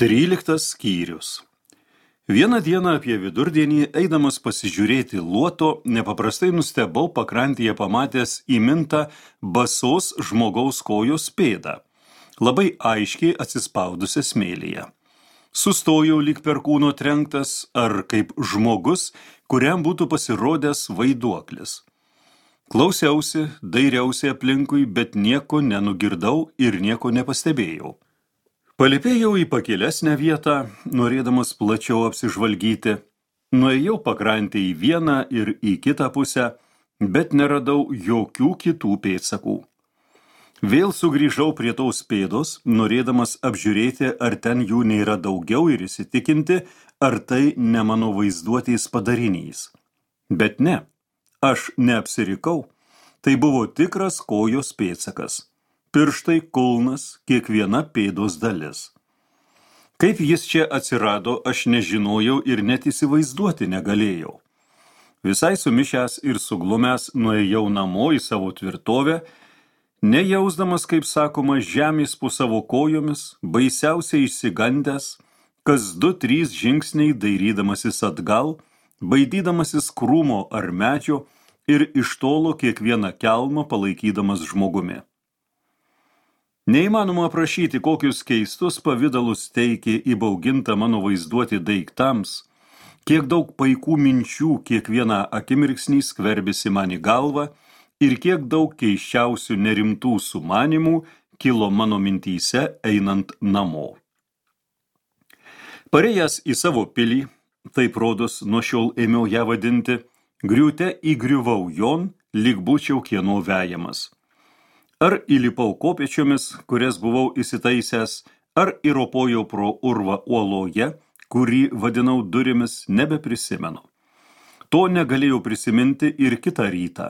13 skyrius. Vieną dieną apie vidurdienį, eidamas pasižiūrėti luoto, nepaprastai nustebau pakrantėje pamatęs įmintą basos žmogaus kojos pėdą, labai aiškiai atsispaudusią smėlyje. Sustojau lyg per kūno trenktas, ar kaip žmogus, kuriam būtų pasirodęs vaiduoklis. Klausiausi, dairiausi aplinkui, bet nieko nenugirdau ir nieko nepastebėjau. Palipėjau į pakilesnę vietą, norėdamas plačiau apsižvalgyti. Nuėjau pakrantę į vieną ir į kitą pusę, bet neradau jokių kitų pėdsakų. Vėl sugrįžau prie tos pėdos, norėdamas apžiūrėti, ar ten jų nėra daugiau ir įsitikinti, ar tai ne mano vaizduotės padarinys. Bet ne, aš neapsirikau. Tai buvo tikras kojos pėdsakas. Pirštai, kulnas, kiekviena pėdos dalis. Kaip jis čia atsirado, aš nežinojau ir net įsivaizduoti negalėjau. Visai sumišęs ir suglumęs nuėjau namo į savo tvirtovę, nejausdamas, kaip sakoma, žemės po savo kojomis, baisiausiai išsigandęs, kas 2-3 žingsniai dairydamasis atgal, baidydamasis krūmo ar medžio ir iš tolo kiekvieną kelmą palaikydamas žmogumi. Neįmanoma aprašyti, kokius keistus pavidalus teikė įbauginta mano vaizduoti daiktams, kiek daug paikų minčių kiekvieną akimirksnį skverbėsi man į galvą ir kiek daug keisčiausių nerimtų sumanimų kilo mano mintyse einant namo. Parėjęs į savo pilį, taip rodos nuo šiol ėmiau ją vadinti, griūte įgriuvau jon, lyg būčiau kieno vejamas. Ar įlipau kopėčiomis, kurias buvau įsitaisęs, ar įropojau pro urvą uoloje, kurį vadinau durimis, nebeprisimenu. To negalėjau prisiminti ir kitą rytą.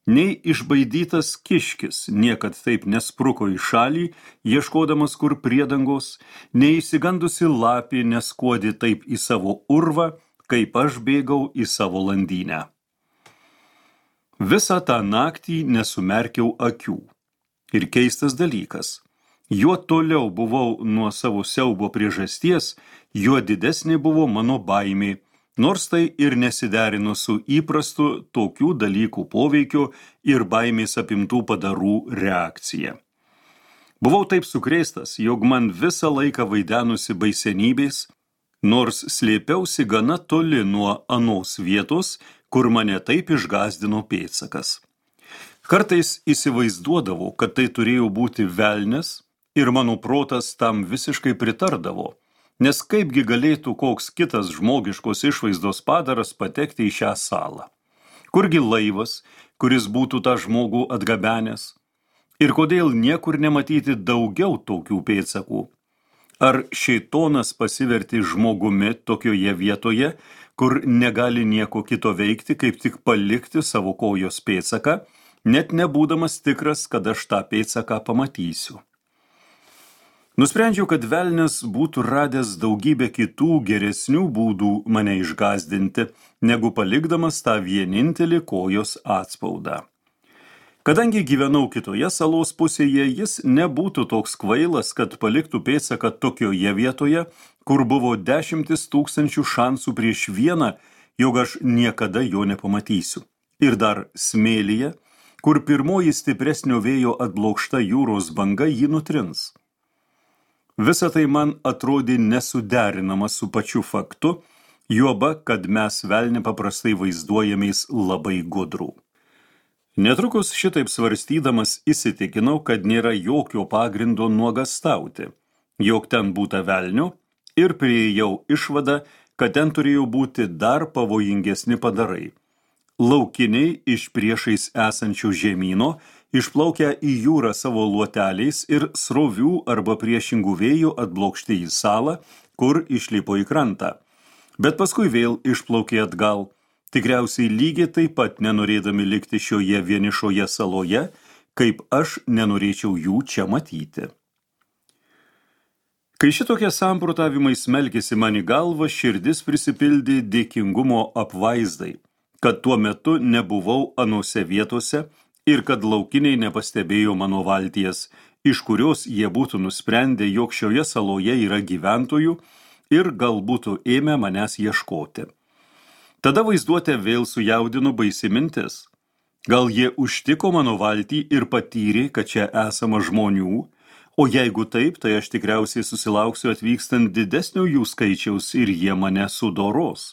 Nei išbaidytas kiškis niekad taip nespruko į šalį, ieškodamas kur priedangos, nei išsigandusi lapė neskuodi taip į savo urvą, kaip aš bėgau į savo landynę. Visą tą naktį nesumerkiau akių. Ir keistas dalykas, juo toliau buvau nuo savo siaubo priežasties, juo didesnė buvo mano baimė, nors tai ir nesiderino su įprastu tokių dalykų poveikiu ir baimės apimtų padarų reakcija. Buvau taip sukrėstas, jog man visą laiką vaidenusi baisenybės, nors slėpiausi gana toli nuo anos vietos, kur mane taip išgąsdino pėdsakas. Kartais įsivaizduodavau, kad tai turėjo būti velnias ir mano protas tam visiškai pritardavo, nes kaipgi galėtų koks kitas žmogiškos išvaizdos padaras patekti į šią salą. Kurgi laivas, kuris būtų tą žmogų atgabenęs? Ir kodėl niekur nematyti daugiau tokių pėdsakų? Ar šėtonas pasiverti žmogumi tokioje vietoje, kur negali nieko kito veikti, kaip tik palikti savo kojos pėdsaką, net nebūdamas tikras, kad aš tą pėdsaką pamatysiu. Nusprendžiau, kad velnias būtų radęs daugybę kitų geresnių būdų mane išgąsdinti, negu palikdamas tą vienintelį kojos atspaudą. Kadangi gyvenau kitoje salos pusėje, jis nebūtų toks kvailas, kad paliktų pėdsaką tokioje vietoje, kur buvo 10 000 šansų prieš vieną, jog aš niekada jo nepamatysiu. Ir dar smėlyje, kur pirmoji stipresnio vėjo atblokšta jūros banga jį nutrins. Visa tai man atrodė nesuderinama su pačiu faktu, juoba, kad mes velnį paprastai vaizduojamės labai gudrų. Netrukus šitaip svarstydamas įsitikinau, kad nėra jokio pagrindo nuogąstauti, jog ten būta velnio, ir priėjau išvadą, kad ten turėjo būti dar pavojingesni padarai. Laukiniai iš priešais esančių žemyno išplaukia į jūrą savo luoteliais ir srovių arba priešingų vėjų atblokšti į salą, kur išlipo į krantą. Bet paskui vėl išplaukė atgal, tikriausiai lygiai taip pat nenorėdami likti šioje vienišoje saloje, kaip aš nenorėčiau jų čia matyti. Kai šitokie samprotavimai smelkėsi man į galvą, širdis prisipildė dėkingumo apvaizdai, kad tuo metu nebuvau anose vietose ir kad laukiniai nepastebėjo mano valties iš kurios jie būtų nusprendę, jog šioje saloje yra gyventojų ir gal būtų ėmę manęs ieškoti. Tada vaizduotę vėl sujaudino baisi mintis. Gal jie užtiko mano valtį ir patyrė, kad čia esama žmonių, o jeigu taip, tai aš tikriausiai susilauksiu atvykstant didesnio jų skaičiaus ir jie mane sudoros.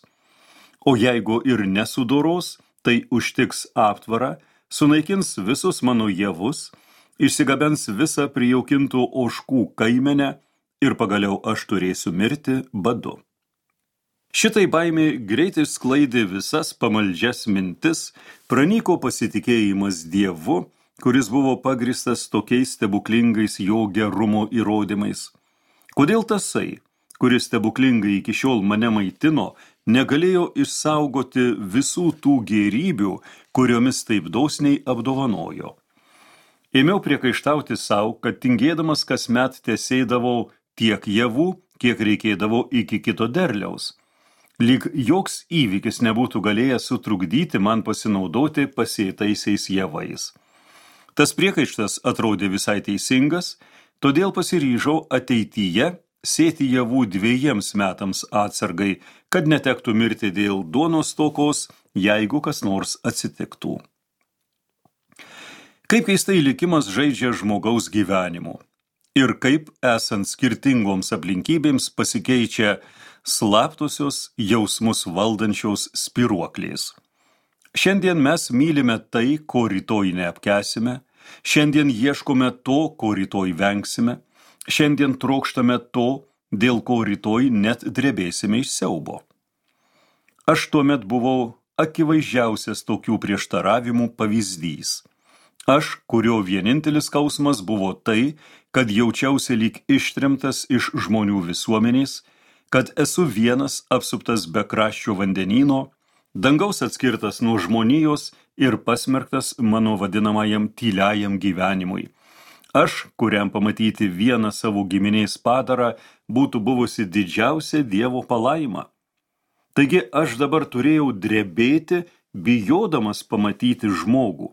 O jeigu ir nesudoros, tai užtiks aptvarą, sunaikins visus mano javus, išsigabens visą prijaukintų ožkų kaimenę ir pagaliau aš turėsiu mirti badu. Šitai baimė greitai sklaidė visas pamaldžias mintis, pranyko pasitikėjimas Dievu, kuris buvo pagristas tokiais stebuklingais jo gerumo įrodymais. Kodėl tasai, kuris stebuklingai iki šiol mane maitino, negalėjo išsaugoti visų tų gėrybių, kuriomis taip dosniai apdovanojo? Ėmiau priekaištauti savo, kad tingėdamas kasmet tesėdavau tiek javų, kiek reikėdavo iki kito derliaus. Lyg joks įvykis nebūtų galėjęs sutrukdyti man pasinaudoti pasėtaisiais javais. Tas priekaištas atrodė visai teisingas, todėl pasiryžau ateityje sėti javų 2 metams atsargai, kad netektų mirti dėl duonos stokos, jeigu kas nors atsitiktų. Kaip keistai likimas žaidžia žmogaus gyvenimu ir kaip esant skirtingoms aplinkybėms pasikeičia slaptosios jausmus valdančios spyruoklės. Šiandien mes mylime tai, ko rytoj neapkęsime, šiandien ieškome to, ko rytoj vengsime, šiandien trokštame to, dėl ko rytoj net drebėsime iš siaubo. Aš tuomet buvau akivaizdžiausias tokių prieštaravimų pavyzdys. Aš, kurio vienintelis skausmas buvo tai, kad jaučiausi lyg ištrimtas iš žmonių visuomenės, kad esu vienas apsuptas bekraščio vandenyno, dangaus atskirtas nuo žmonijos ir pasmerktas mano vadinamajam tyliajam gyvenimui. Aš, kuriam pamatyti vieną savo giminės padarą, būtų buvusi didžiausia Dievo palaima. Taigi aš dabar turėjau drebėti, bijodamas pamatyti žmogų.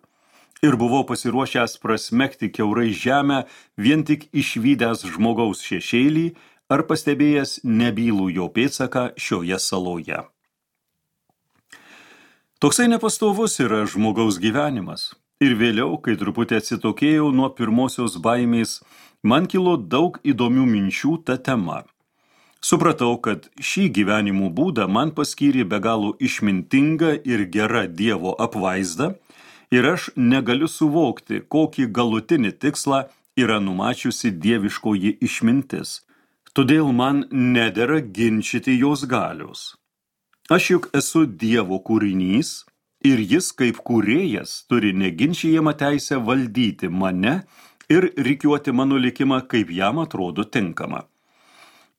Ir buvau pasiruošęs prasmegti kiaurai žemę, vien tik išvydęs žmogaus šešėlį, ar pastebėjęs nebylų jo pėdsaką šioje saloje. Toksai nepastovus yra žmogaus gyvenimas. Ir vėliau, kai truputį atsitokėjau nuo pirmosios baimės, man kilo daug įdomių minčių ta tema. Supratau, kad šį gyvenimo būdą man paskyrė be galo išmintinga ir gera Dievo apvaizda, ir aš negaliu suvokti, kokį galutinį tikslą yra numačiusi dieviškoji išmintis. Todėl man nedera ginčyti jos galios. Aš juk esu Dievo kūrinys ir jis kaip kūrėjas turi neginčijamą teisę valdyti mane ir rikiuoti mano likimą, kaip jam atrodo tinkama.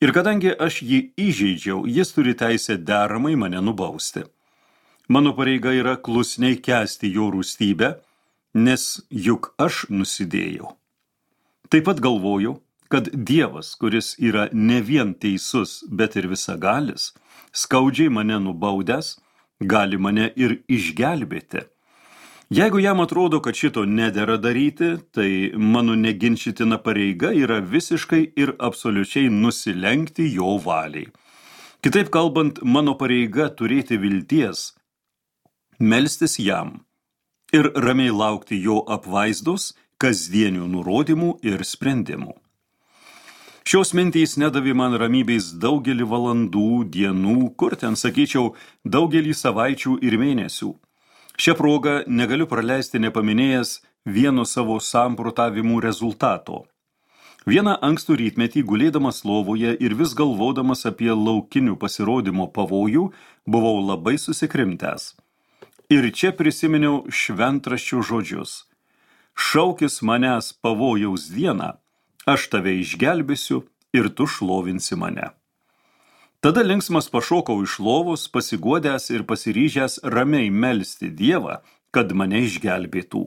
Ir kadangi aš jį įžeidžiau, jis turi teisę deramai mane nubausti. Mano pareiga yra klusniai kęsti jo rūstybę, nes juk aš nusidėjau. Taip pat galvoju, kad Dievas, kuris yra ne vien teisus, bet ir visagalis, skaudžiai mane nubaudęs, gali mane ir išgelbėti. Jeigu jam atrodo, kad šito nedera daryti, tai mano neginčytina pareiga yra visiškai ir absoliučiai nusilenkti jo valiai. Kitaip kalbant, mano pareiga turėti vilties, melstis jam ir ramiai laukti jo apvaizdos, kasdienių nurodymų ir sprendimų. Šios mintys nedavė man ramybės daugelį valandų, dienų, kur ten, sakyčiau, daugelį savaičių ir mėnesių. Šią progą negaliu praleisti nepaminėjęs vieno savo samprotavimų rezultato. Vieną ankstų rytmetį gulėdamas lovoje ir vis galvodamas apie laukinių pasirodymo pavojų, buvau labai susikrimtęs. Ir čia prisiminiau šventraščių žodžius. Šaukis manęs pavojaus dieną, aš tave išgelbėsiu ir tu šlovinsi mane. Tada linksmas pašokau iš lovos, pasiguodęs ir pasiryžęs ramiai melsti Dievą, kad mane išgelbėtų.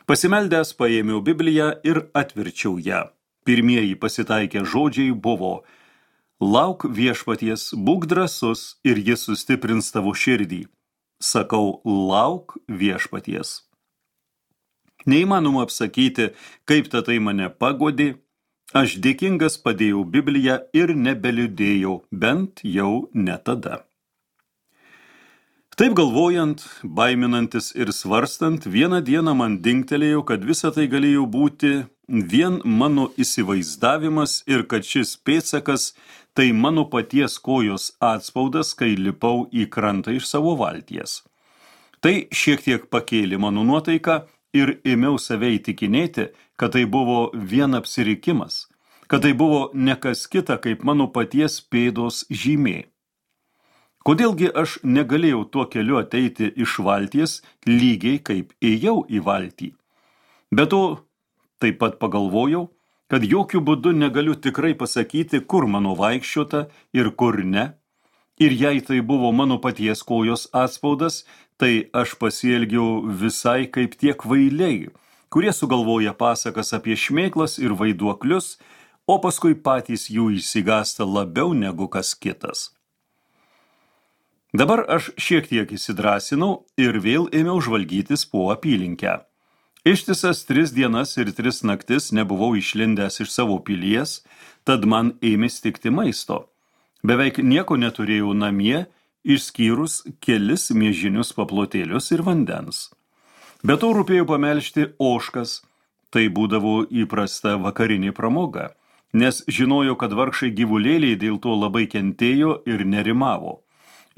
Pasimeldęs paėmiau Bibliją ir atverčiau ją. Pirmieji pasitaikę žodžiai buvo: lauk viešpaties, būk drąsus ir jis sustiprins tavo širdį. Sakau, lauk viešpaties. Neįmanoma apsakyti, kaip tai mane pagodė. Aš dėkingas padėjau Bibliją ir nebeliūdėjau, bent jau ne tada. Taip galvojant, baiminantis ir svarstant, vieną dieną man dingtelėjo, kad visa tai galėjo būti vien mano įsivaizdavimas ir kad šis pėdsakas tai mano paties kojos atspaudas, kai lipau į krantą iš savo valties. Tai šiek tiek pakėlė mano nuotaiką ir ėmiau save įtikinėti, kad tai buvo vien apsirikimas, kad tai buvo ne kas kita kaip mano paties pėdos žymė. Kodėlgi aš negalėjau tuo keliu ateiti iš valties lygiai kaip ėjau į valtį? Be to, taip pat pagalvojau, kad jokių būdų negaliu tikrai pasakyti, kur mano vaikščiota ir kur ne. Ir jei tai buvo mano paties kojos atspaudas, tai aš pasielgiau visai kaip tie kvailiai, kurie sugalvoja pasakas apie šmėklas ir vaiduoklius, o paskui patys jų išsigąsta labiau negu kas kitas. Dabar aš šiek tiek įsidrasinau ir vėl ėmiau žvalgytis po apylinkę. Ištisas 3 dienas ir 3 naktis nebuvau išlindęs iš savo pilies, tad man ėmė stigti maisto. Beveik nieko neturėjau namie, išskyrus kelis miežinius paplotėlius ir vandens. Be to rūpėjo pamelžti ožkas, tai būdavo įprasta vakarinė pramoga, nes žinojau, kad vargšai gyvulėliai dėl to labai kentėjo ir nerimavo.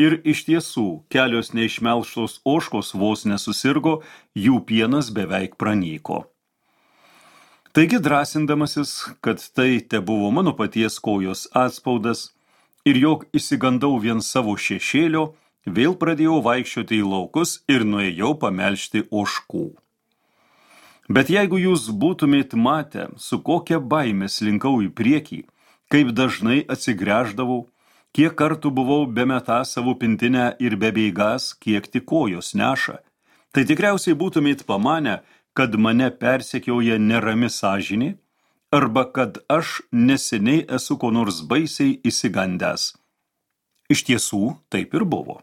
Ir iš tiesų, kelios neišmelžtos ožkos vos nesusirgo, jų pienas beveik pranyko. Taigi drąsindamasis, kad tai tebuvo mano paties kojos atspaudas ir jog išsigandau vien savo šešėlio, vėl pradėjau vaikščioti į laukus ir nuėjau pamelžti ožkų. Bet jeigu jūs būtumėt matę, su kokia baime slinkau į priekį, kaip dažnai atsigręždavau, kiek kartų buvau bemetą savo pintinę ir bebeigąs, kiek tik kojos neša, tai tikriausiai būtumėt pamanę, kad mane persekioja nerami sąžinė, arba kad aš neseniai esu ko nors baisiai išsigandęs. Iš tiesų, taip ir buvo.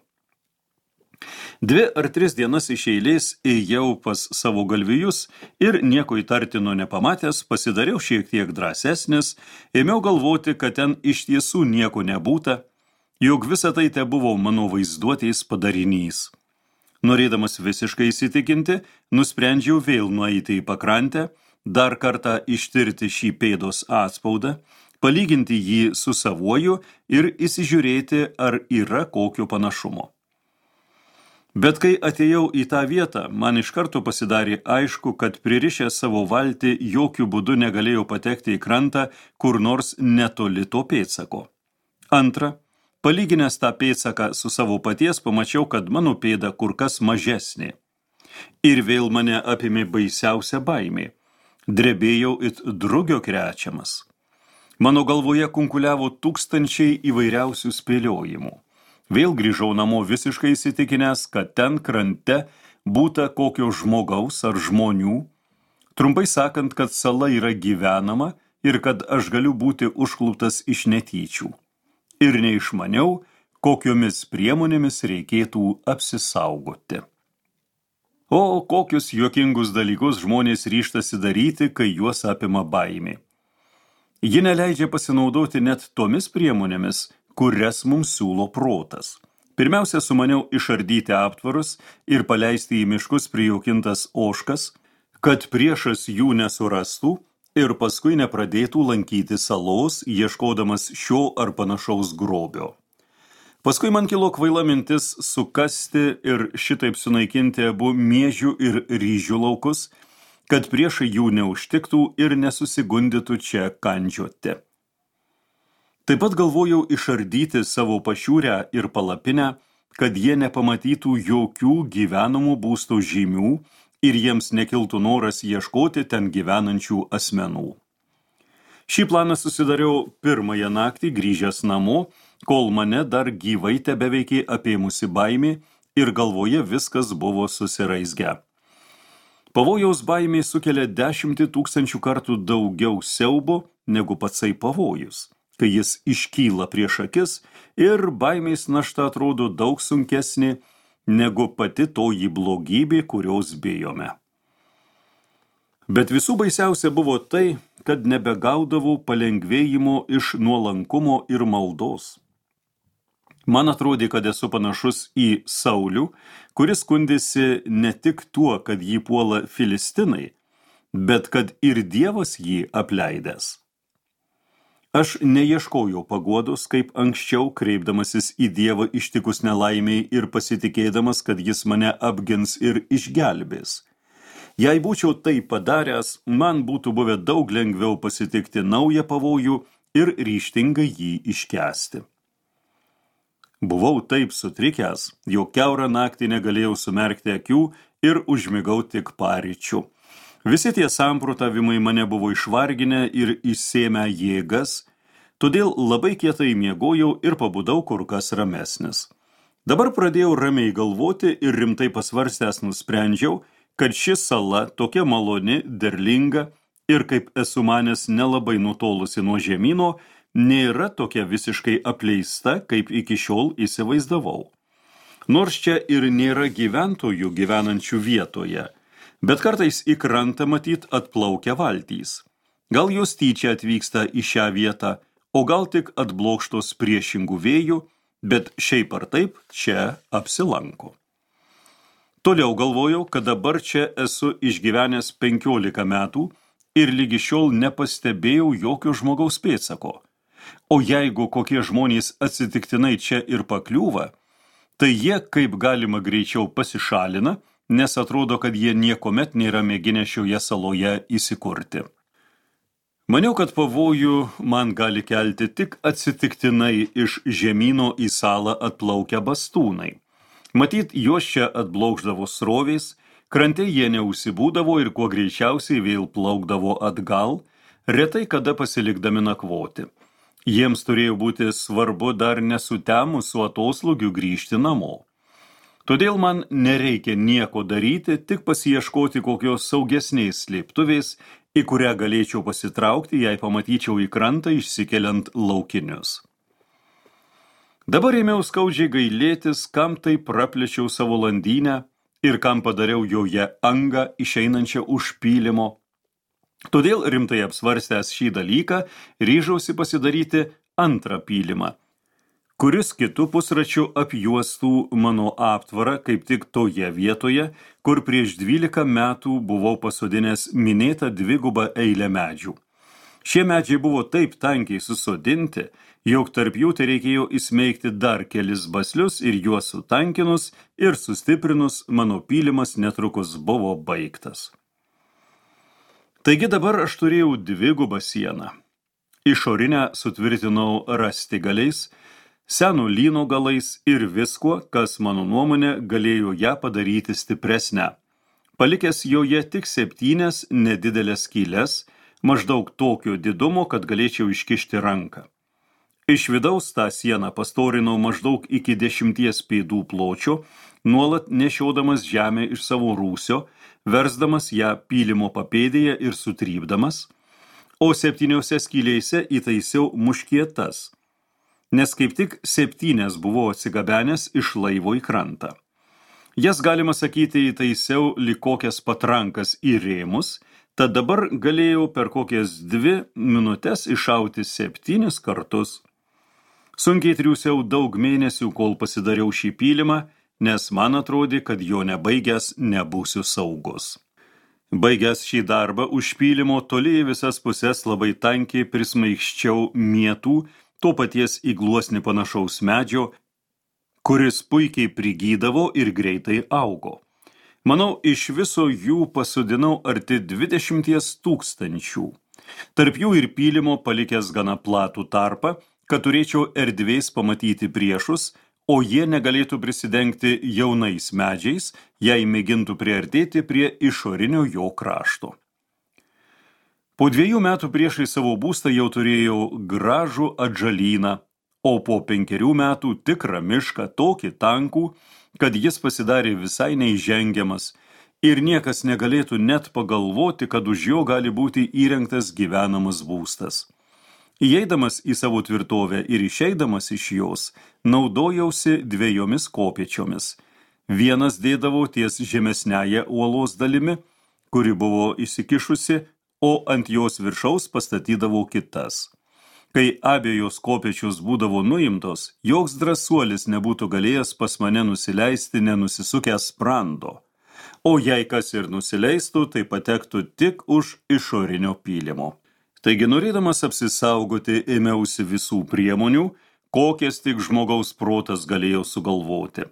2 ar 3 dienas iš eilės ėjau pas savo galvijus ir nieko įtartino nepamatęs, pasidariau šiek tiek drąsesnis, ėmiau galvoti, kad ten iš tiesų nieko nebūta, jog visa tai tebuvo mano vaizduotės padarinys. Norėdamas visiškai įsitikinti, nusprendžiau vėl nueiti į pakrantę, dar kartą ištirti šį pėdos atspaudą, palyginti jį su savuoju ir įsižiūrėti, ar yra kokio panašumo. Bet kai atėjau į tą vietą, man iš karto pasidarė aišku, kad pririšęs savo valtį jokių būdų negalėjau patekti į krantą kur nors netoli to pėdsako. Antra, palyginęs tą pėdsaką su savo paties, pamačiau, kad mano pėda kur kas mažesnė. Ir vėl mane apėmė baisiausia baimė. Drebėjau it drugio krečiamas. Mano galvoje kunkuliavo tūkstančiai įvairiausių spėliojimų. Vėl grįžau namo visiškai įsitikinęs, kad ten krante būta kokio žmogaus ar žmonių, trumpai sakant, kad sala yra gyvenama ir kad aš galiu būti užkluptas iš netyčių. Ir neišmaniau, kokiomis priemonėmis reikėtų apsisaugoti. O kokius juokingus dalykus žmonės ryžtasi daryti, kai juos apima baimė. Ji neleidžia pasinaudoti net tomis priemonėmis, kurias mums siūlo protas. Pirmiausia, sumaniau išardyti aptvarus ir paleisti į miškus prijaukintas ožkas, kad priešas jų nesurastų ir paskui nepradėtų lankyti salos, ieškodamas šio ar panašaus grobio. Paskui man kilo kvaila mintis sukasti ir šitaip sunaikinti abu miežių ir ryžių laukus, kad priešai jų neužtiktų ir nesusigundytų čia kandžioti. Taip pat galvojau išardyti savo pašiūrę ir palapinę, kad jie nepamatytų jokių gyvenamų būstų žymių ir jiems nekiltų noras ieškoti ten gyvenančių asmenų. Šį planą susidariau pirmąją naktį grįžęs namo, kol mane dar gyvai tebeveikė apėmusi baimė ir galvoje viskas buvo susiraizgę. Pavojaus baimė sukelia 10 000 kartų daugiau siaubo negu patsai pavojus, kai jis iškyla prieš akis ir baimės našta atrodo daug sunkesnė negu pati toji blogybė, kurios bijome. Bet visų baisiausia buvo tai, kad nebegaudavau palengvėjimo iš nuolankumo ir maldos. Man atrodė, kad esu panašus į Saulių, kuris skundėsi ne tik tuo, kad jį puola filistinai, bet kad ir Dievas jį apleidęs. Aš neieškojau paguodos, kaip anksčiau, kreipdamasis į Dievą ištikus nelaimiai ir pasitikėdamas, kad jis mane apgins ir išgelbės. Jei būčiau tai padaręs, man būtų buvę daug lengviau pasitikti naują pavojų ir ryžtingai jį iškęsti. Buvau taip sutrikęs, jog kiaurą naktį negalėjau sumerkti akių ir užmigau tik paryčių. Visi tie samprotavimai mane buvo išvarginę ir išsėmę jėgas, todėl labai kietai miegojau ir pabudau kur kas ramesnis. Dabar pradėjau ramiai galvoti ir rimtai pasvarstęs nusprendžiau, kad ši sala tokia maloni, derlinga ir, kaip esu manęs, nelabai nutolusi nuo žemyno, nėra tokia visiškai apleista, kaip iki šiol įsivaizdavau. Nors čia ir nėra gyventojų gyvenančių vietoje, bet kartais į krantą matyt atplaukia valtys. Gal jos tyčia atvyksta į šią vietą, o gal tik atblokštos priešingų vėjų, bet šiaip ar taip čia apsilanko. Toliau galvojau, kad dabar čia esu išgyvenęs 15 metų ir lygi šiol nepastebėjau jokio žmogaus pėdsako. O jeigu kokie žmonės atsitiktinai čia ir pakliūva, tai jie kaip galima greičiau pasišalina, nes atrodo, kad jie niekomet nėra mėginę šioje saloje įsikurti. Maniau, kad pavojų man gali kelti tik atsitiktinai iš žemyno į salą atplaukę bastūnai. Matyt, juos čia atblokšdavo srovės, krante jie neužsibūdavo ir kuo greičiausiai vėl plaukdavo atgal, retai kada pasilikdami nakvoti. Jiems turėjo būti svarbu dar nesutemus su atoslūgiu grįžti namo. Todėl man nereikia nieko daryti, tik pasiieškoti kokios saugesnės slėptuvės, į kurią galėčiau pasitraukti, jei pamatyčiau į krantą išsikeliant laukinius. Dabar ėmiau skaudžiai gailėtis, kam tai praplėčiau savo landynę ir kam padariau joje angą išeinančią už pylimo. Todėl rimtai apsvarstęs šį dalyką, ryžausi pasidaryti antrą pylimą, kuris kitu pusračiu apjuostų mano aptvarą kaip tik toje vietoje, kur prieš 12 metų buvau pasodinęs minėtą dvigubą eilę medžių. Šie medžiai buvo taip tankiai susodinti, jog tarp jų tai reikėjo įsmeigti dar kelis baslius ir juos sutankinus ir sustiprinus, mano pylimas netrukus buvo baigtas. Taigi dabar aš turėjau dvigubą sieną. Išorinę sutvirtinau rąstigaliais, seno lyno galais ir viskuo, kas mano nuomonė galėjo ją padaryti stipresnę. Palikęs joje tik 7 nedidelės skyles, maždaug tokio didumo, kad galėčiau iškišti ranką. Iš vidaus tą sieną pastorinau maždaug iki 10 pėdų pločio, nuolat nešiodamas žemę iš savo rūsio, versdamas ją pylimo papėdėje ir sutrypdamas, o 7 skylėse įtaisiau muškietas, nes kaip tik 7 buvau atsigabenęs iš laivo į krantą. Jas, galima sakyti, įtaisiau lyg kokias patrankas į rėmus, tad dabar galėjau per kokias 2 minutes iššauti 7 kartus. Sunkiai triūsiau daug mėnesių, kol pasidariau šį pylimą, nes man atrodė, kad jo nebaigęs nebūsiu saugus. Baigęs šį darbą už pylimo toli į visas pusės labai tankiai prismaigščiau mietų, to paties į gluosnį panašaus medžio, kuris puikiai prigydavo ir greitai augo. Manau, iš viso jų pasodinau arti 20 000. Tarp jų ir pylimo palikęs gana platų tarpą, kad turėčiau erdvės pamatyti priešus, o jie negalėtų prisidengti jaunais medžiais, jei mėgintų priartėti prie išorinio jo krašto. Po 2 metų priešai savo būstą jau turėjau gražų atžalyną, o po 5 metų tikrą mišką tokį tankų, kad jis pasidarė visai neįžengiamas ir niekas negalėtų net pagalvoti, kad už jo gali būti įrengtas gyvenamas būstas. Įeidamas į savo tvirtovę ir išeidamas iš jos, naudojausi 2 kopėčiomis. Vienas dėdavau ties žemesniąją uolos dalimi, kuri buvo įsikišusi, o ant jos viršaus pastatydavau kitas. Kai abiejos kopėčios būdavo nuimtos, joks drąsuolis nebūtų galėjęs pas mane nusileisti nenusisukęs sprando, o jei kas ir nusileistų, tai patektų tik už išorinio pylimo. Taigi, norėdamas apsisaugoti, ėmiausi visų priemonių, kokias tik žmogaus protas galėjo sugalvoti.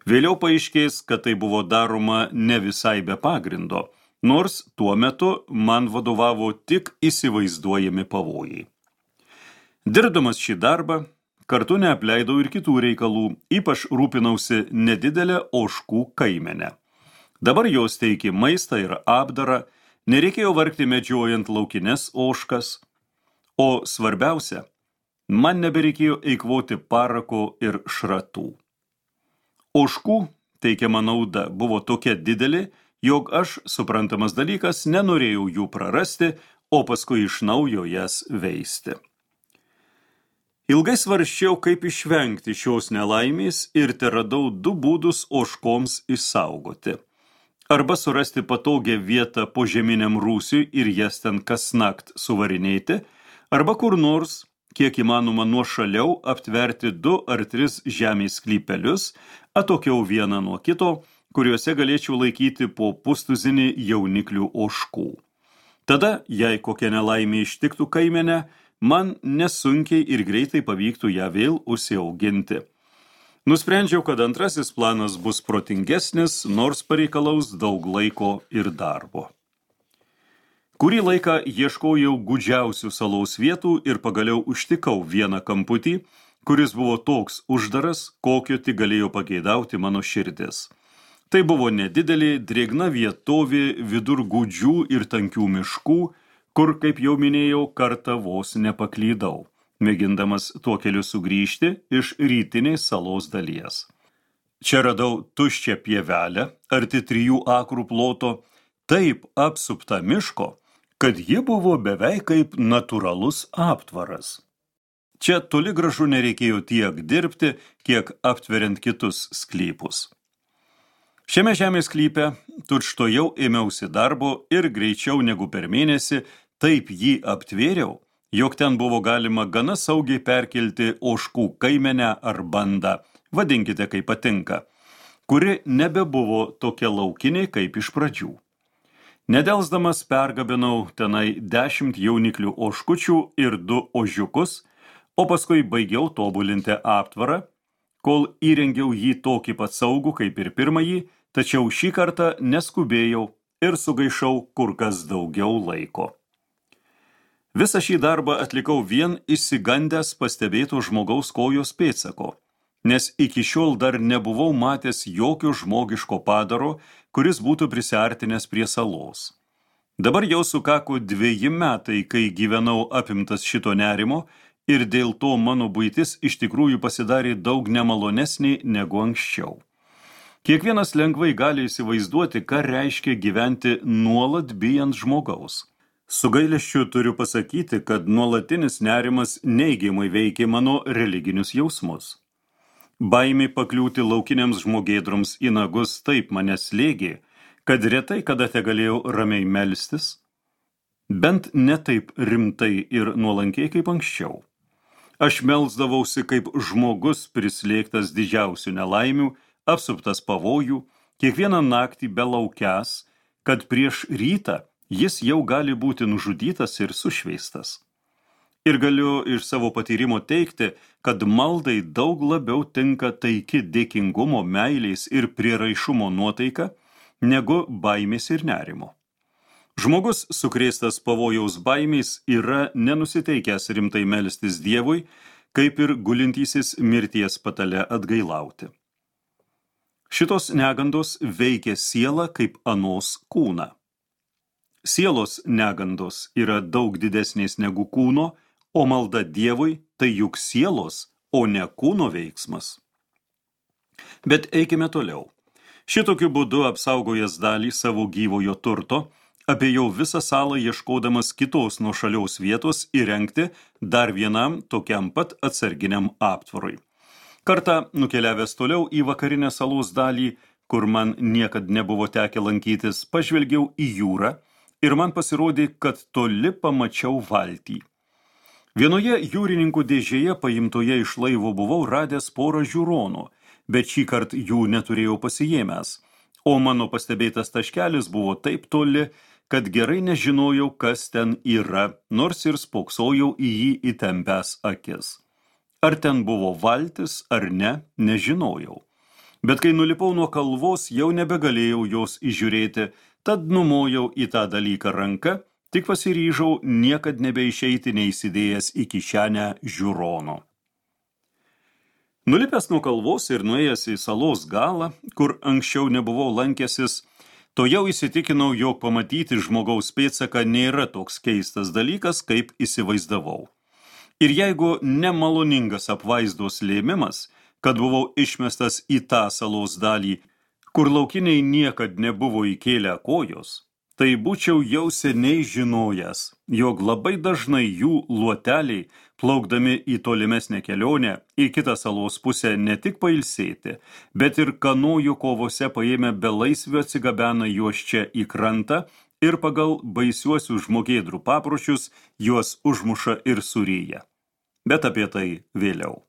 Vėliau paaiškės, kad tai buvo daroma ne visai be pagrindo, nors tuo metu man vadovavo tik įsivaizduojami pavojai. Dirbdamas šį darbą, kartu neapleidau ir kitų reikalų, ypač rūpinausi nedidelę ožkų kaimenę. Dabar jos teikė maistą ir apdarą, nereikėjo vargti medžiojant laukines ožkas, o svarbiausia, man nebereikėjo eikvoti parako ir šratų. Ožkų teikiama nauda buvo tokia didelė, jog aš, suprantamas dalykas, nenorėjau jų prarasti, o paskui iš naujo jas veisti. Ilgai svarsčiau, kaip išvengti šios nelaimės ir teradau 2 būdus ožkoms išsaugoti. Arba surasti patogią vietą požeminiam rūsiui ir jas ten kasnakt suvarinėti, arba kur nors, kiek įmanoma nuošaliau, aptverti 2 ar 3 žemės sklypelius, atokiau vieną nuo kito, kuriuose galėčiau laikyti po pustuzinį jauniklių ožkų. Tada, jei kokia nelaimė ištiktų kaimenę, man nesunkiai ir greitai pavyktų ją vėl užsiauginti. Nusprendžiau, kad antrasis planas bus protingesnis, nors pareikalaus daug laiko ir darbo. Kurį laiką ieškojau gūdžiausių salos vietų ir pagaliau užtikau vieną kamputį, kuris buvo toks uždaras, kokio tik galėjo pageidauti mano širdis. Tai buvo nedidelė, drėgna vietovė vidur gūdžių ir tankių miškų, kur, kaip jau minėjau, kartą vos nepaklydau, mėgindamas tuo keliu sugrįžti iš rytinės salos dalies. Čia radau tuščią pievelę, arti 3 akrų ploto, taip apsupta miško, kad ji buvo beveik kaip natūralus aptvaras. Čia toli gražu nereikėjo tiek dirbti, kiek aptveriant kitus sklypus. Šiame žemės sklype tučtuojau ėmiausi darbo ir greičiau negu per mėnesį taip jį aptvėriau, jog ten buvo galima gana saugiai perkelti ožkų kaimenę ar bandą, vadinkite kaip patinka, kuri nebebuvo tokia laukinė kaip iš pradžių. Nedelsdamas pergabinau tenai 10 jauniklių ožkučių ir 2 ožiukus, o paskui baigiau tobulinti aptvarą, kol įrengiau jį tokį pat saugų kaip ir pirmąjį, tačiau šį kartą neskubėjau ir sugaišau kur kas daugiau laiko. Visą šį darbą atlikau vien išsigandęs pastebėto žmogaus kojos pėdsako, nes iki šiol dar nebuvau matęs jokio žmogiško padaro, kuris būtų prisiartinęs prie salos. Dabar jau sukako 2 metai, kai gyvenau apimtas šito nerimo, ir dėl to mano buitis iš tikrųjų pasidarė daug nemalonesnė negu anksčiau. Kiekvienas lengvai gali įsivaizduoti, ką reiškia gyventi nuolat bijant žmogaus. Su gailesčiu turiu pasakyti, kad nuolatinis nerimas neigiamai veikė mano religinius jausmus. Baimė pakliūti laukiniams žmogėdroms į nagus taip mane slėgė, kad retai kada tegalėjau ramiai melstis, bent ne taip rimtai ir nuolankiai kaip anksčiau. Aš melsdavausi kaip žmogus prislėgtas didžiausių nelaimių, apsuptas pavojų, kiekvieną naktį belaukiąs, kad prieš rytą jis jau gali būti nužudytas ir sušveistas. Ir galiu iš savo patyrimo teigti, kad maldai daug labiau tinka taiki dėkingumo, meilės ir prieraišumo nuotaika, negu baimės ir nerimo. Žmogus, sukrėstas pavojaus baimės, yra nenusiteikęs rimtai melstis Dievui, kaip ir gulintysis mirties patale atgailauti. Šitos negandos veikia sielą kaip anos kūną. Sielos negandos yra daug didesnės negu kūno, o malda Dievui tai juk sielos, o ne kūno veiksmas. Bet eikime toliau. Šitokiu būdu apsaugojęs dalį savo gyvojo turto, apėjau visą salą ieškodamas kitos nuošaliaus vietos įrengti dar vienam tokiam pat atsarginiam aptvarui. Kartą nukeliavęs toliau į vakarinę salos dalį, kur man niekad nebuvo tekę lankytis, pažvelgiau į jūrą ir man pasirodė, kad toli pamačiau valtį. Vienoje jūrininkų dėžėje paimtoje iš laivo buvau radęs porą žiūronų, bet šį kartą jų neturėjau pasiėmęs, o mano pastebėtas taškelis buvo taip toli, kad gerai nežinojau, kas ten yra, nors ir spoksojau į jį įtempęs akis. Ar ten buvo valtis ar ne, nežinojau. Bet kai nulipau nuo kalvos, jau nebegalėjau jos įžiūrėti, tad numojau į tą dalyką ranką, tik pasiryžau niekad nebeišeiti neįsidėjęs į kišenę žiūrono. Nulipęs nuo kalvos ir nuėjęs į salos galą, kur anksčiau nebuvau lankęsis, to jau įsitikinau, jog pamatyti žmogaus pėdsaką nėra toks keistas dalykas, kaip įsivaizdavau. Ir jeigu nemaloningas apvaizdos lėmimas, kad buvau išmestas į tą salos dalį, kur laukiniai niekad nebuvo įkėlę kojos, tai būčiau jau seniai žinojęs, jog labai dažnai jų luoteliai, plaukdami į tolimesnę kelionę, į kitą salos pusę ne tik pailsėti, bet ir kanojų kovose paėmę belaisvių atsigabena juos čia į krantą ir pagal baisiuosius žmogėdrų papročius juos užmuša ir suryja. Bet apie tai vėliau.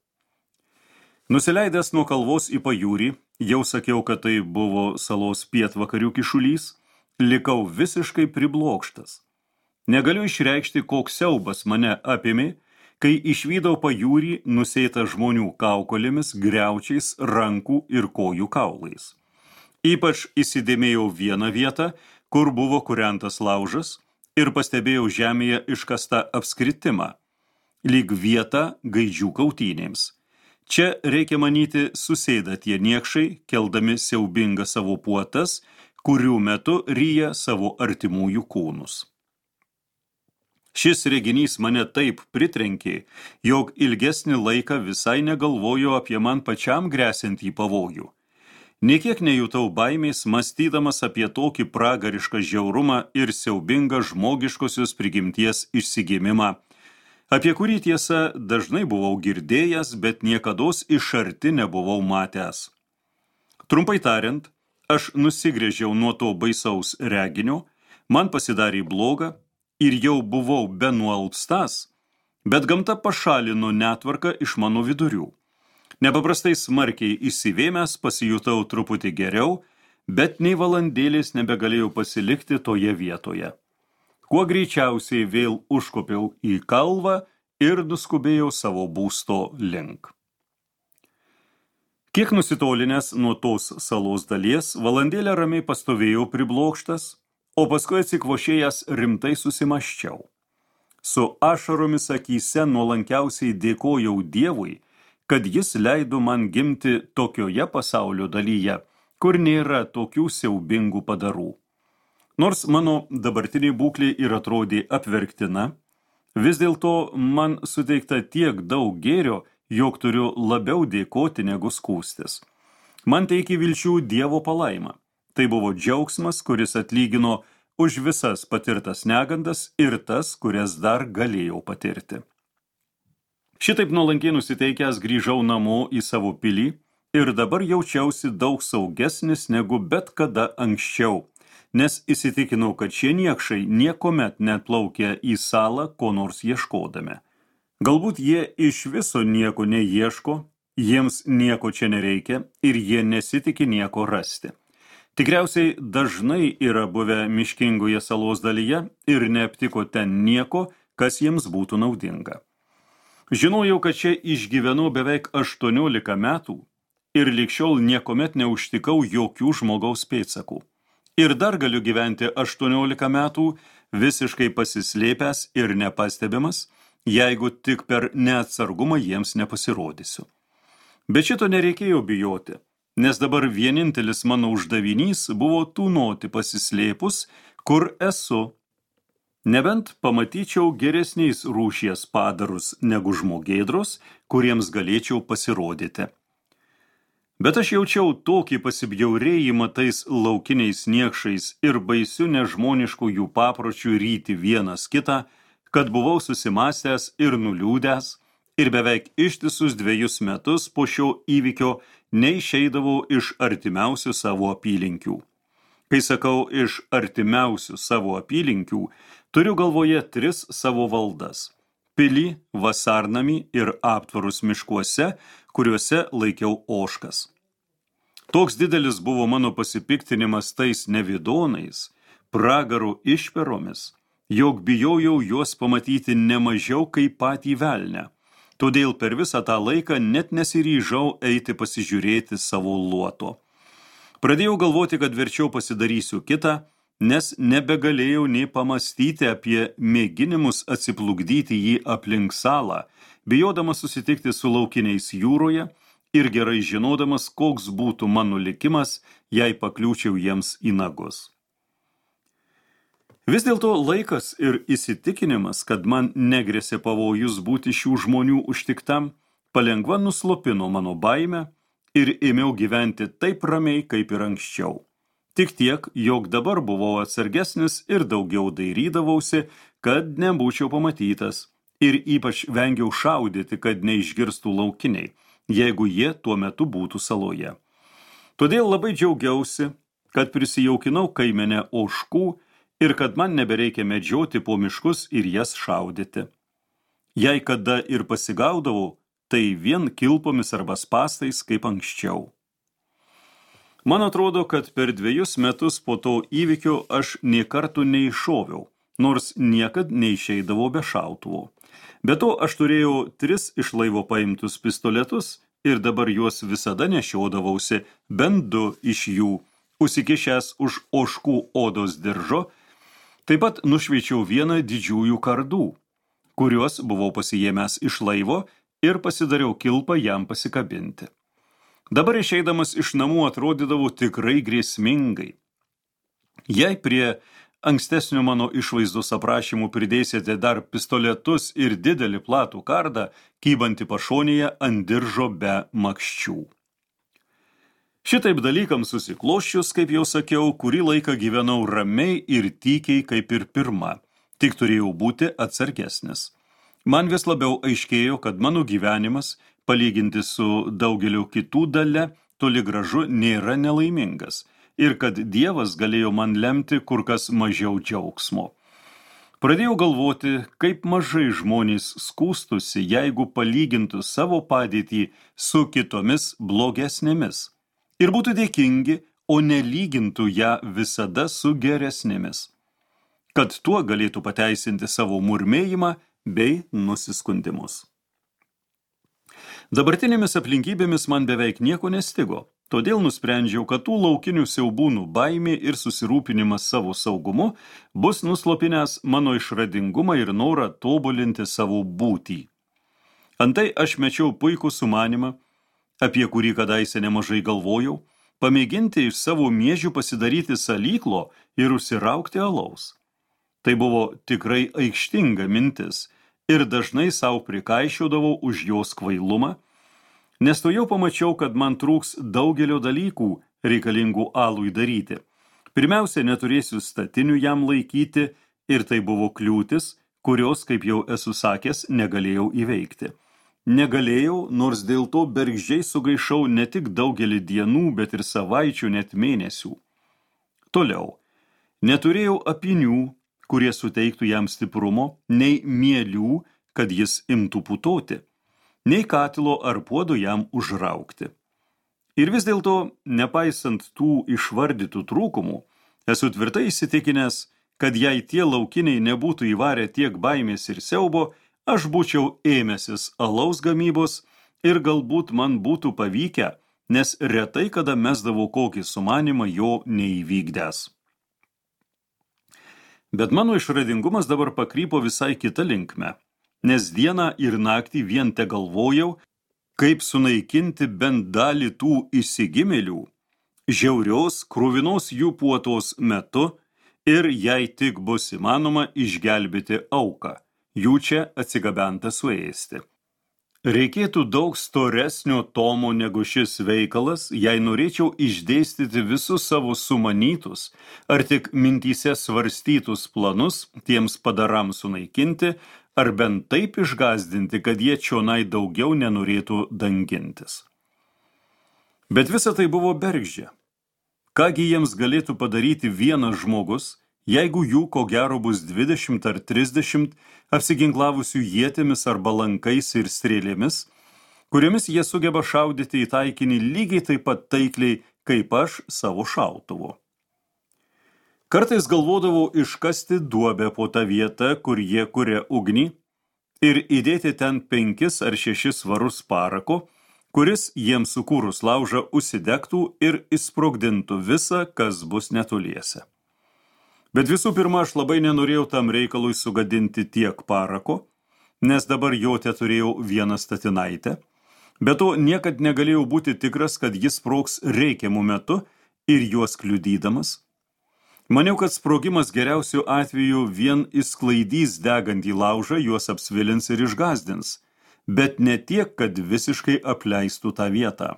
Nusileidęs nuo kalvos į pajūrį, jau sakiau, kad tai buvo salos pietvakarių kišulys, likau visiškai priblokštas. Negaliu išreikšti, koks siaubas mane apėmė, kai išvydau pajūrį nusėtą žmonių kaukolėmis, griaučiais, rankų ir kojų kaulais. Ypač įsidėmėjau vieną vietą, kur buvo kurentas laužas, ir pastebėjau žemėje iškastą apskritimą, lyg vietą gaidžių kautynėms. Čia, reikia manyti, susėda tie niekšai, keldami siaubingą savo puotas, kurių metu ryja savo artimųjų kūnus. Šis reginys mane taip pritrenkė, jog ilgesnį laiką visai negalvojo apie man pačiam gresiantį pavojų. Nė kiek nejutau baimės, mąstydamas apie tokį pragarišką žiaurumą ir siaubingą žmogiškosios prigimties išsigimimą, apie kurį tiesa dažnai buvau girdėjęs, bet niekados iš arti nebuvau matęs. Trumpai tariant, aš nusigręžiau nuo to baisaus reginio, man pasidarė bloga ir jau buvau benualpstas, bet gamta pašalino netvarką iš mano vidurių. Nepaprastai smarkiai įsivėmęs pasijutau truputį geriau, bet nei valandėlės nebegalėjau pasilikti toje vietoje. Kuo greičiausiai vėl užkopiau į kalvą ir nuskubėjau savo būsto link. Kiek nusitolinęs nuo tos salos dalies, valandėlę ramiai pastovėjau priblokštas, o paskui atsikvošėjęs rimtai susimąsčiau. Su ašaromis akyse nuolankiausiai dėkojau Dievui, kad jis leido man gimti tokioje pasaulio dalyje, kur nėra tokių siaubingų padarų. Nors mano dabartinė būklė ir atrodė apverktina, vis dėlto man suteikta tiek daug gėrio, jog turiu labiau dėkoti negu skųstis. Man teikė vilčių Dievo palaima. Tai buvo džiaugsmas, kuris atlygino už visas patirtas negandas ir tas, kurias dar galėjau patirti. Šitaip nuolankiai nusiteikęs grįžau namo į savo pilį ir dabar jaučiausi daug saugesnis negu bet kada anksčiau, nes įsitikinau, kad šie niekšai niekomet neatplaukia į salą ko nors ieškodami. Galbūt jie iš viso nieko neieško, jiems nieko čia nereikia ir jie nesitiki nieko rasti. Tikriausiai dažnai yra buvę miškingoje salos dalyje ir neaptiko ten nieko, kas jiems būtų naudinga. Žinojau, kad čia išgyvenau beveik 18 metų ir lig šiol niekomet neužtikau jokių žmogaus pėdsakų. Ir dar galiu gyventi 18 metų visiškai pasislėpęs ir nepastebimas, jeigu tik per neatsargumą jiems nepasirodysiu. Bet šito nereikėjo bijoti, nes dabar vienintelis mano uždavinys buvo tūnoti pasislėpus, kur esu. Nebent pamatyčiau geresniais rūšies padarus negu žmogėdros, kuriems galėčiau pasirodyti. Bet aš jaučiau tokį pasibjaurėjimą tais laukiniais niekšais ir baisiu nežmoniškų jų papročių ryti vienas kitą, kad buvau susimąstęs ir nuliūdęs, ir beveik ištisus 2 metus po šio įvykio neišeidavau iš artimiausių savo apylinkių. Kai sakau iš artimiausių savo apylinkių, turiu galvoje 3 savo valdas – pilį, vasarnamį ir aptvarus miškuose, kuriuose laikiau ožkas. Toks didelis buvo mano pasipiktinimas tais nevidonais, pragarų išperomis, jog bijojau juos pamatyti nemažiau kaip patį velnę. Todėl per visą tą laiką net nesiryžau eiti pasižiūrėti savo luoto. Pradėjau galvoti, kad verčiau pasidarysiu kitą, nes nebegalėjau nei pamastyti apie mėginimus atsiplukdyti jį aplink salą, bijodamas susitikti su laukiniais jūroje ir gerai žinodamas, koks būtų mano likimas, jei pakliūčiau jiems į nagus. Vis dėlto laikas ir įsitikinimas, kad man negrėsė pavojus būti šių žmonių užtiktam, palengva nuslopino mano baimę ir ėmiau gyventi taip ramiai, kaip ir anksčiau. Tik tiek, jog dabar buvau atsargesnis ir daugiau dairydavausi, kad nebūčiau pamatytas, ir ypač vengiau šaudyti, kad neišgirstų laukiniai, jeigu jie tuo metu būtų saloje. Todėl labai džiaugiausi, kad prisijaukinau kaimenę ožkų ir kad man nebereikia medžioti po miškus ir jas šaudyti. Jei kada ir pasigaudavau, tai vien kilpomis arba spastais kaip anksčiau. Man atrodo, kad per 2 metus po to įvykio aš nė kartų neiššoviau, nors niekad neišeidavau be šautuvo. Be to aš turėjau 3 iš laivo paimtus pistoletus ir dabar juos visada nešiodavausi, bent 2 iš jų, užsikišęs už ožkų odos diržo. Taip pat nušveičiau vieną didžiųjų kardų, kuriuos buvau pasiėmęs iš laivo ir pasidariau kilpą jam pasikabinti. Dabar išeidamas iš namų atrodydavau tikrai grėsmingai. Jei prie ankstesnio mano išvaizdos aprašymų pridėsite dar pistoletus ir didelį platų kardą, kybantį pašonėje ant diržo be makščių. Šitaip dalykams susikloščius, kaip jau sakiau, kurį laiką gyvenau ramiai ir tykiai kaip ir pirma, tik turėjau būti atsargesnis. Man vis labiau aiškėjo, kad mano gyvenimas, palyginti su daugeliu kitų dalia, toli gražu nėra nelaimingas ir kad Dievas galėjo man lemti kur kas mažiau džiaugsmo. Pradėjau galvoti, kaip mažai žmonės skųstusi, jeigu palygintų savo padėtį su kitomis blogesnėmis ir būtų dėkingi, o nelygintų ją visada su geresnėmis, kad tuo galėtų pateisinti savo murmėjimą bei nusiskundimus. Dabartinėmis aplinkybėmis man beveik nieko nestigo, todėl nusprendžiau, kad tų laukinių siaubūnų baimė ir susirūpinimas savo saugumu bus nuslopinęs mano išradingumą ir norą tobulinti savo būtį. Antai aš mečiau puikų sumanimą, apie kurį kadaise nemažai galvojau, pamėginti iš savo miežių pasidaryti salyklo ir užsiraukti alaus. Tai buvo tikrai aikštinga mintis, ir dažnai savo prikaišiodavau už jos kvailumą, nes to jau pamačiau, kad man trūks daugelio dalykų reikalingų alui daryti. Pirmiausia, neturėsiu statinių jam laikyti, ir tai buvo kliūtis, kurios, kaip jau esu sakęs, negalėjau įveikti. Negalėjau, nors dėl to bergždžiai sugaišau ne tik daugelį dienų, bet ir savaičių, net mėnesių. Toliau, neturėjau apinių, kurie suteiktų jam stiprumo, nei mielių, kad jis imtų putoti, nei katilo ar puodo jam užraukti. Ir vis dėlto, nepaisant tų išvardytų trūkumų, esu tvirtai įsitikinęs, kad jei tie laukiniai nebūtų įvarę tiek baimės ir siaubo, aš būčiau ėmęsis alaus gamybos ir galbūt man būtų pavykę, nes retai kada mesdavau kokį sumanimą jo neįvykdęs. Bet mano išradingumas dabar pakrypo visai kitą linkmę, nes dieną ir naktį vien te galvojau, kaip sunaikinti bent dalį tų įsigimėlių, žiaurios, kruvinos jų puotos metu ir jei tik bus įmanoma išgelbėti auką, jų čia atsigabentą suėsti. Reikėtų daug storesnio tomo negu šis veikalas, jei norėčiau išdėstyti visus savo sumanytus ar tik mintyse svarstytus planus tiems padarams sunaikinti, ar bent taip išgąsdinti, kad jie čionai daugiau nenorėtų dangintis. Bet visa tai buvo bergždžia. Kągi jiems galėtų padaryti vienas žmogus, jeigu jų ko gero bus 20 ar 30 apsiginklavusių ietimis arba lankais ir strėlėmis, kuriomis jie sugeba šaudyti į taikinį lygiai taip pat taikliai, kaip aš savo šautuvu. Kartais galvodavau iškasti duobę po tą vietą, kur jie kuria ugnį, ir įdėti ten 5 ar 6 svarus parako, kuris jiems sukūrus laužą užsidegtų ir įsprogdintų visą, kas bus netoliese. Bet visų pirma, aš labai nenorėjau tam reikalui sugadinti tiek parako, nes dabar jo teturėjau vieną statinaitę, bet to niekad negalėjau būti tikras, kad jis sprogs reikiamų metu ir juos kliudydamas. Maniau, kad sprogimas geriausiu atveju vien išsklaidys degantį laužą, juos apsvilins ir išgąsdins, bet ne tiek, kad visiškai apleistų tą vietą.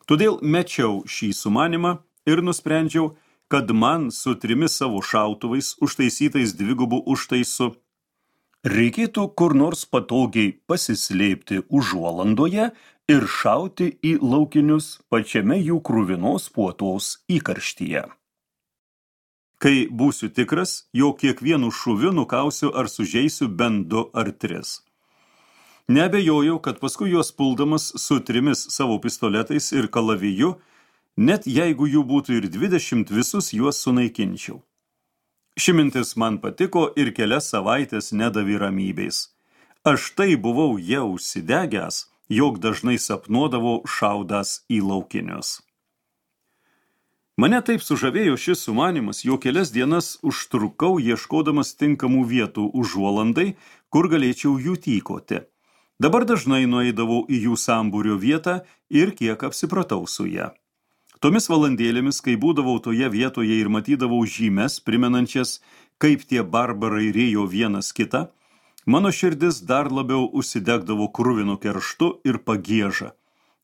Todėl mečiau šį sumanimą ir nusprendžiau, kad man su 3 savo šautuvais užtaisytais 2 užtaisu reikėtų kur nors patogiai pasislėpti užuolandoje ir šauti į laukinius pačiame jų kruvinos puotos įkarštyje. Kai būsiu tikras, jog kiekvienu šūviu nukausiu ar sužeisiu bent 2 ar 3. Neabejojau, kad paskui juos puldamas su 3 savo pistoletais ir kalaviju, net jeigu jų būtų ir 20, visus juos sunaikinčiau. Ši mintis man patiko ir kelias savaitės nedavė ramybės. Aš tai buvau jau užsidegęs, jog dažnai sapnuodavau šaudas į laukinius. Mane taip sužavėjo šis sumanymas, jog kelias dienas užtrukau ieškodamas tinkamų vietų užuolandai, kur galėčiau jų tykoti. Dabar dažnai nueidavau į jų sambūrio vietą ir kiek apsipratau su ją. Tomis valandėlėmis, kai būdavau toje vietoje ir matydavau žymes, primenančias, kaip tie barbarai rėjo vienas kitą, mano širdis dar labiau užsidegdavo kruvinu kerštu ir pagieža.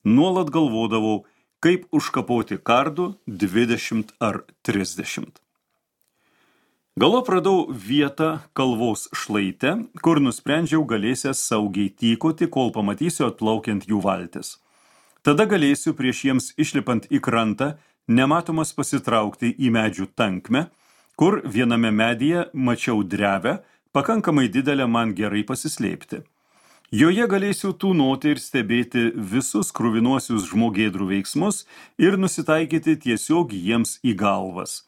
Nuolat galvodavau, kaip užkapoti kardų 20 ar 30. Galop radau vietą kalvos šlaite, kur nusprendžiau galėsiąs saugiai tykoti, kol pamatysiu atplaukiant jų valtis. Tada galėsiu prieš jiems išlipant į krantą nematomas pasitraukti į medžių tankmę, kur viename medyje mačiau drevę, pakankamai didelę man gerai pasislėpti. Joje galėsiu tūnoti ir stebėti visus kruvinuosius žmogėdrų veiksmus ir nusitaikyti tiesiog jiems į galvas.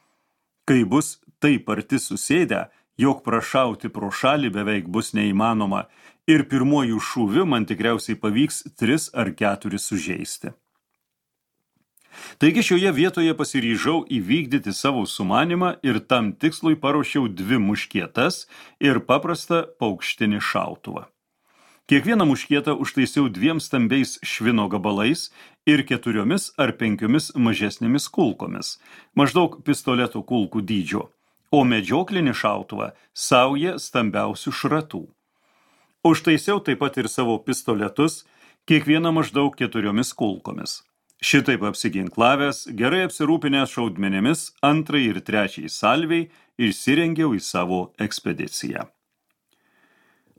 Kai bus taip arti susėdę, jog prašauti pro šalį beveik bus neįmanoma ir pirmojų šūvių man tikriausiai pavyks 3 ar 4 sužeisti. Taigi šioje vietoje pasiryžau įvykdyti savo sumanimą ir tam tikslui paruošiau 2 muškietas ir paprastą paukštinį šautuvą. Kiekvieną muškietą užtaisiau 2 stambiais švino gabalais ir 4 ar 5 mažesnėmis kulkomis, maždaug pistoleto kulkų dydžio, o medžioklinį šautuvą sauja stambiausių šratų. Užtaisiau taip pat ir savo pistoletus, kiekvieną maždaug 4 kulkomis. Šitaip apsiginklavęs, gerai apsirūpinęs šaudmenėmis 2 ir 3 salviai išsirengiau į savo ekspediciją.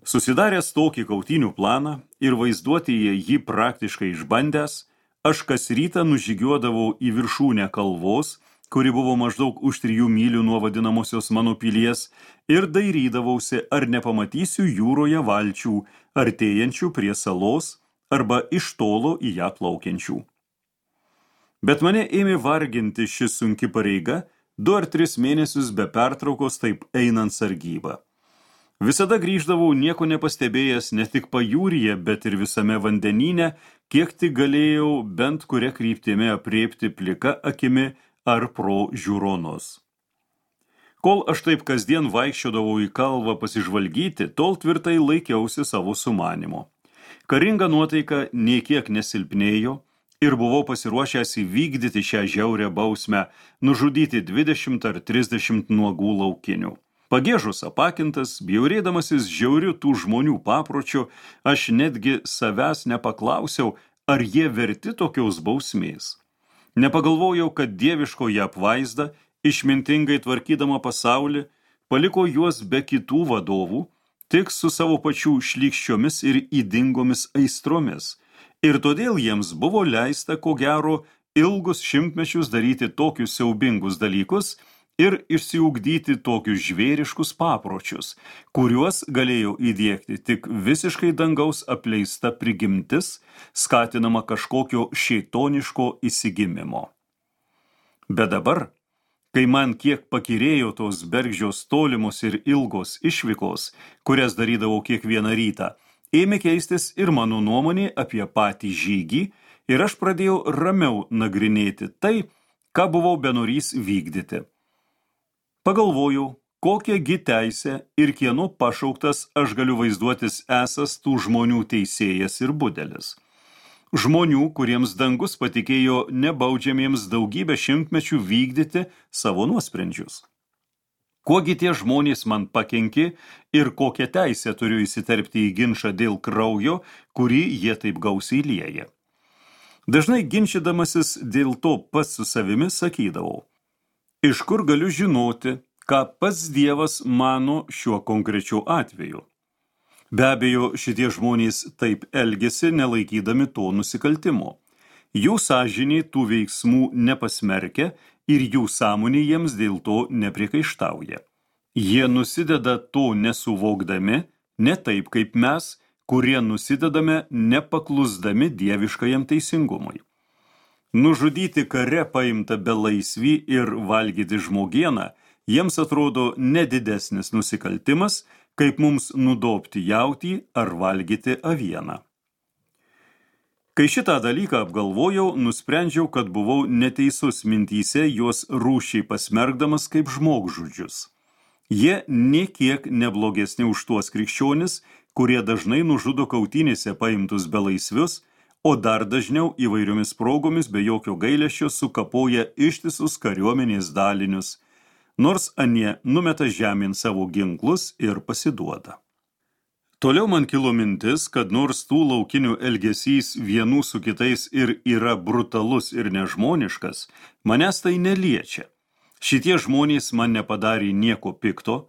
Susidaręs tokį kautynių planą ir vaizduotėje jį praktiškai išbandęs, aš kas rytą nužygiuodavau į viršūnę kalvos, kuri buvo maždaug už 3 mylių nuo vadinamosios mano pilies, ir dairydavausi, ar nepamatysiu jūroje valčių, artėjančių prie salos arba iš tolo į ją plaukiančių. Bet mane ėmė varginti ši sunki pareiga 2 ar 3 mėnesius be pertraukos taip einant sargybą. Visada grįždavau nieko nepastebėjęs ne tik pajūryje, bet ir visame vandenyne, kiek tik galėjau bent kuria kryptimi aprėpti plika akimi ar pro žiūronus. Kol aš taip kasdien vaikščiodavau į kalvą pasižvalgyti, tol tvirtai laikiausi savo sumanimo. Karinga nuotaika nė kiek nesilpnėjo ir buvau pasiruošęs įvykdyti šią žiaurią bausmę, nužudyti 20 ar 30 nuogų laukinių. Pagiežus apakintas, bjaurėdamasis žiauriu tų žmonių papročiu, aš netgi savęs nepaklausiau, ar jie verti tokios bausmės. Nepagalvojau, kad dieviškoji apvaizda, išmintingai tvarkydama pasaulį, paliko juos be kitų vadovų, tik su savo pačių šlykščiomis ir ydingomis aistromis, ir todėl jiems buvo leista, ko gero, ilgus šimtmečius daryti tokius siaubingus dalykus ir išsiugdyti tokius žvėriškus papročius, kuriuos galėjo įdiegti tik visiškai dangaus apleista prigimtis, skatinama kažkokio šėtoniško įsigimimo. Bet dabar, kai man kiek pakyrėjo tos bergždžios tolimos ir ilgos išvykos, kurias darydavau kiekvieną rytą, ėmė keistis ir mano nuomonė apie patį žygį, ir aš pradėjau ramiau nagrinėti tai, ką buvau benorys vykdyti. Pagalvojau, kokią gi teisę ir kieno pašauktas aš galiu vaizduotis esas tų žmonių teisėjas ir budelis. Žmonių, kuriems dangus patikėjo nebaudžiamiems daugybę šimtmečių vykdyti savo nuosprendžius. Kuogi tie žmonės man pakenkė ir kokią teisę turiu įsiterpti į ginčą dėl kraujo, kurį jie taip gausiai lieja. Dažnai ginčydamasis dėl to pats su savimi sakydavau, iš kur galiu žinoti, ką pats Dievas mano šiuo konkrečiu atveju. Be abejo, šitie žmonės taip elgėsi, nelaikydami to nusikaltimo. Jų sąžinė tų veiksmų nepasmerkia ir jų sąmonė jiems dėl to nepriekaištauja. Jie nusideda to nesuvokdami, ne taip kaip mes, kurie nusidedame nepaklusdami dieviškajam teisingumui. Nužudyti kare paimtą belaisvį ir valgyti žmogieną jiems atrodo nedidesnis nusikaltimas, kaip mums nudobti jautį ar valgyti avieną. Kai šitą dalyką apgalvojau, nusprendžiau, kad buvau neteisus mintyse juos rūšiai pasmerkdamas kaip žmogžudžius. Jie nė kiek neblogesni už tuos krikščionis, kurie dažnai nužudo kautynėse paimtus belaisvius, o dar dažniau įvairiomis progomis be jokio gailesčio sukapoja ištisus kariuomenės dalinius, nors anie numeta žemėn savo ginklus ir pasiduoda. Toliau man kilo mintis, kad nors tų laukinių elgesys vienų su kitais ir yra brutalus ir nežmoniškas, manęs tai neliečia. Šitie žmonės man nepadarė nieko pikto,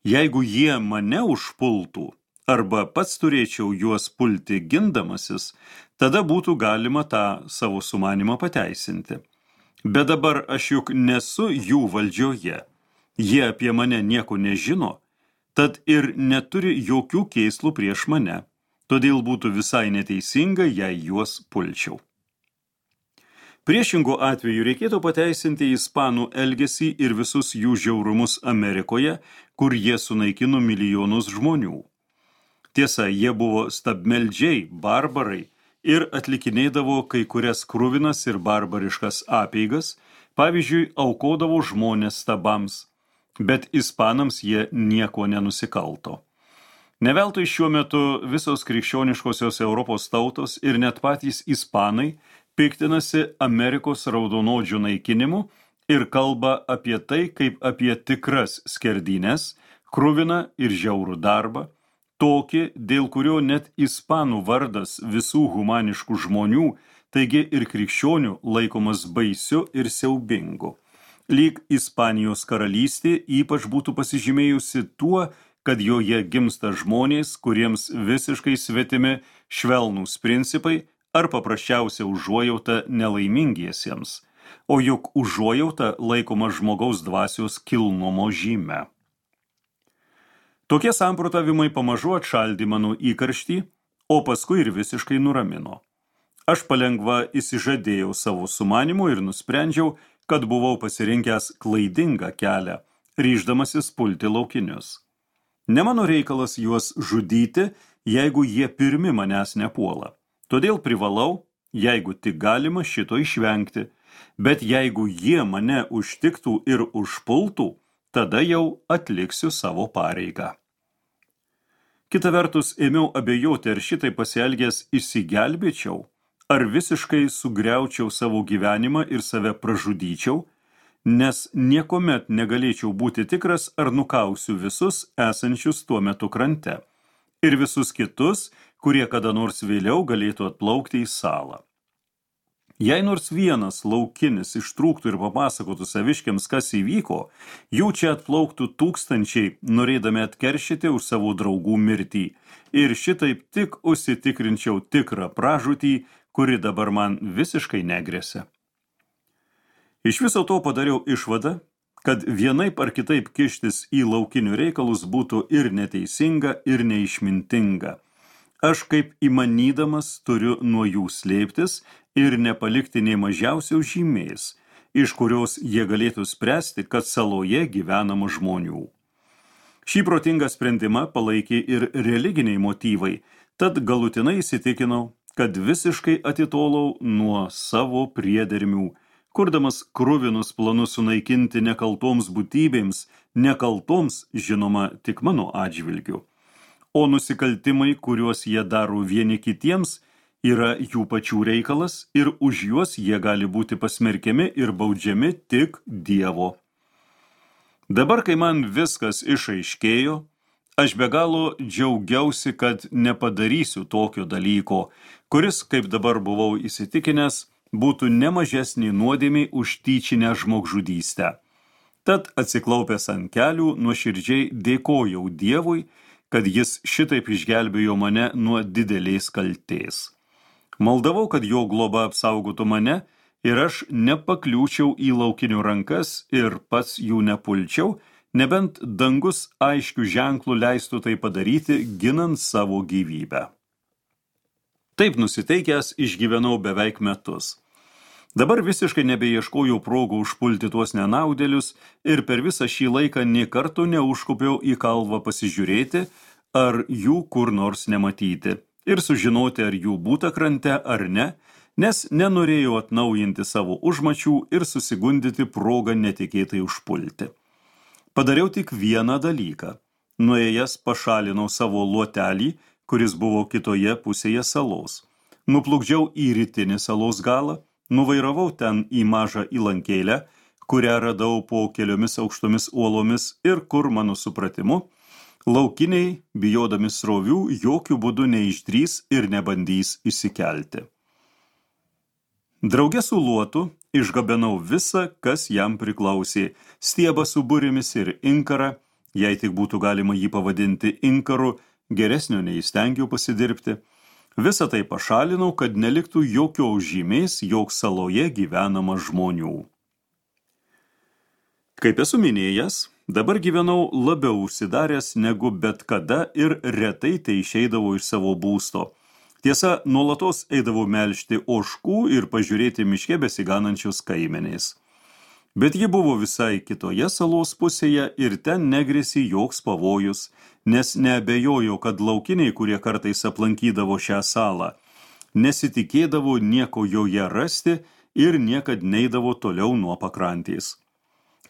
jeigu jie mane užpultų, arba pats turėčiau juos pulti gindamasis, tada būtų galima tą savo sumanimą pateisinti. Bet dabar aš juk nesu jų valdžioje. Jie apie mane nieko nežino, tad ir neturi jokių kėslų prieš mane, todėl būtų visai neteisinga, jei juos pulčiau. Priešingu atveju reikėtų pateisinti ispanų elgesį ir visus jų žiaurumus Amerikoje, kur jie sunaikino milijonus žmonių. Tiesa, jie buvo stabmeldžiai, barbarai ir atlikinėdavo kai kurias kruvinas ir barbariškas apeigas, pavyzdžiui, aukodavo žmonės stabams, bet ispanams jie nieko nenusikalto. Neveltui šiuo metu visos krikščioniškosios Europos tautos ir net patys ispanai piktinasi Amerikos raudonodžių naikinimu ir kalba apie tai, kaip apie tikras skerdynes, kruviną ir žiaurų darbą, tokį, dėl kurio net ispanų vardas visų humaniškų žmonių, taigi ir krikščionių, laikomas baisiu ir siaubingu. Lyg Ispanijos karalystė ypač būtų pasižymėjusi tuo, kad joje gimsta žmonės, kuriems visiškai svetimi švelnūs principai ar paprasčiausia užuojauta nelaimingiesiems, o juk užuojauta laikoma žmogaus dvasios kilnumo žyme. Tokie samprotavimai pamažu atšaldė mano įkarštį, o paskui ir visiškai nuramino. Aš palengva įsižadėjau savo sumanymu ir nusprendžiau, kad buvau pasirinkęs klaidingą kelią, ryždamasis pulti laukinius. Ne mano reikalas juos žudyti, jeigu jie pirmi manęs nepuola. Todėl privalau, jeigu tik galima, šito išvengti, bet jeigu jie mane užtiktų ir užpultų, tada jau atliksiu savo pareigą. Kita vertus, ėmiau abejoti, ar šitai pasielgęs išsigelbėčiau, ar visiškai sugriaučiau savo gyvenimą ir save pražudyčiau, nes niekuomet negalėčiau būti tikras, ar nukausiu visus esančius tuo metu krante ir visus kitus, kurie kada nors vėliau galėtų atplaukti į salą. Jei nors vienas laukinis ištrūktų ir papasakotų saviškiams, kas įvyko, jų čia atplauktų tūkstančiai, norėdami atkeršyti už savo draugų mirtį. Ir šitaip tik užsitikrinčiau tikrą pražūtį, kuri dabar man visiškai negresia. Iš viso to padariau išvadą, kad vienaip ar kitaip kištis į laukinių reikalus būtų ir neteisinga, ir neišmintinga. Aš kaip įmanydamas turiu nuo jų slėptis ir nepalikti nei mažiausios žymės, iš kurios jie galėtų spręsti, kad saloje gyvenama žmonių. Šį protingą sprendimą palaikė ir religiniai motyvai, tad galutinai įsitikinau, kad visiškai atitolau nuo savo priedermių, kurdamas kruvinus planus sunaikinti nekaltoms būtybėms, nekaltoms, žinoma, tik mano atžvilgiu. O nusikaltimai, kuriuos jie daro vieni kitiems, yra jų pačių reikalas ir už juos jie gali būti pasmerkiami ir baudžiami tik Dievo. Dabar, kai man viskas išaiškėjo, aš be galo džiaugiausi, kad nepadarysiu tokio dalyko, kuris, kaip dabar buvau įsitikinęs, būtų nemažesnį nuodėmį už tyčinę žmogžudystę. Tad atsiklaupęs ant kelių, nuoširdžiai dėkojau Dievui, kad jis šitaip išgelbėjo mane nuo didelės kaltės. Maldavau, kad jo globa apsaugotų mane ir aš nepakliūčiau į laukinių rankas ir pats jų nepulčiau, nebent dangus aiškių ženklų leistų tai padaryti, ginant savo gyvybę. Taip nusiteikęs išgyvenau beveik metus. Dabar visiškai nebeieškojau progų užpulti tuos nenaudėlius ir per visą šį laiką nė karto neužkupiau į kalvą pasižiūrėti, ar jų kur nors nematyti ir sužinoti, ar jų būta krante ar ne, nes nenorėjau atnaujinti savo užmačių ir susigundyti progą netikėtai užpulti. Padariau tik vieną dalyką. Nuėjęs pašalinau savo luotelį, kuris buvo kitoje pusėje salos. Nuplukdžiau į rytinį salos galą, nuvairavau ten į mažą įlankėlę, kurią radau po keliomis aukštomis uolomis ir kur, mano supratimu, laukiniai, bijodami srovių, jokių būdų neišdrys ir nebandys išsikelti. Drauge su luotu išgabenau visą, kas jam priklausė, stiebą su burėmis ir inkarą, jei tik būtų galima jį pavadinti inkaru, geresnio neįstengiau pasidirbti. Visą tai pašalinau, kad neliktų jokios žymės, jog saloje gyvenama žmonių. Kaip esu minėjęs, dabar gyvenau labiau užsidaręs negu bet kada ir retai tai išeidavau iš savo būsto. Tiesa, nuolatos eidavau melžti ožkų ir pažiūrėti miške besiganančius kaimenės. Bet ji buvo visai kitoje salos pusėje ir ten negrėsė joks pavojus, nes neabejojo, kad laukiniai, kurie kartais aplankydavo šią salą, nesitikėdavo nieko joje rasti ir niekad neidavo toliau nuo pakrantės.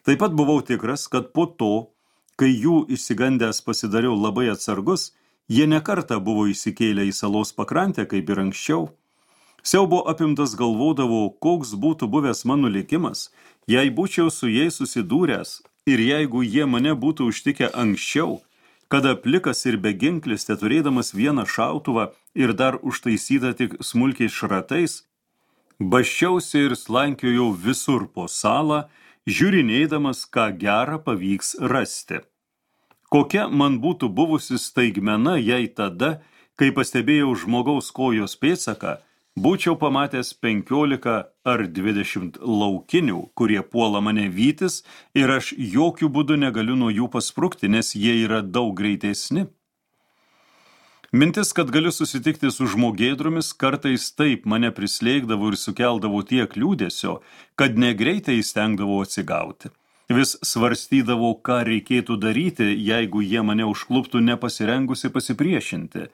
Taip pat buvau tikras, kad po to, kai jų išsigandęs pasidariau labai atsargus, jie nekartą buvo įsikėlę į salos pakrantę, kaip ir anksčiau. Siaubo apimtas galvodavo, koks būtų buvęs mano likimas, jei būčiau su jais susidūręs ir jeigu jie mane būtų užtikę anksčiau, kada plikas ir beginklis, teturėdamas vieną šautuvą ir dar užtaisytą tik smulkiais šratais, basčiausi ir slankiojau visur po salą, žiūrinėdamas, ką gerą pavyks rasti. Kokia man būtų buvusi staigmena, jei tada, kai pastebėjau žmogaus kojos pėdsaką, būčiau pamatęs 15 ar 20 laukinių, kurie puola mane vytis ir aš jokių būdų negaliu nuo jų pasprukti, nes jie yra daug greitesni. Mintis, kad galiu susitikti su žmogėdromis, kartais taip mane prislėgdavo ir sukeldavo tiek liūdesio, kad negreitai stengdavau atsigauti. Vis svarstydavau, ką reikėtų daryti, jeigu jie mane užkluptų nepasirengusi pasipriešinti.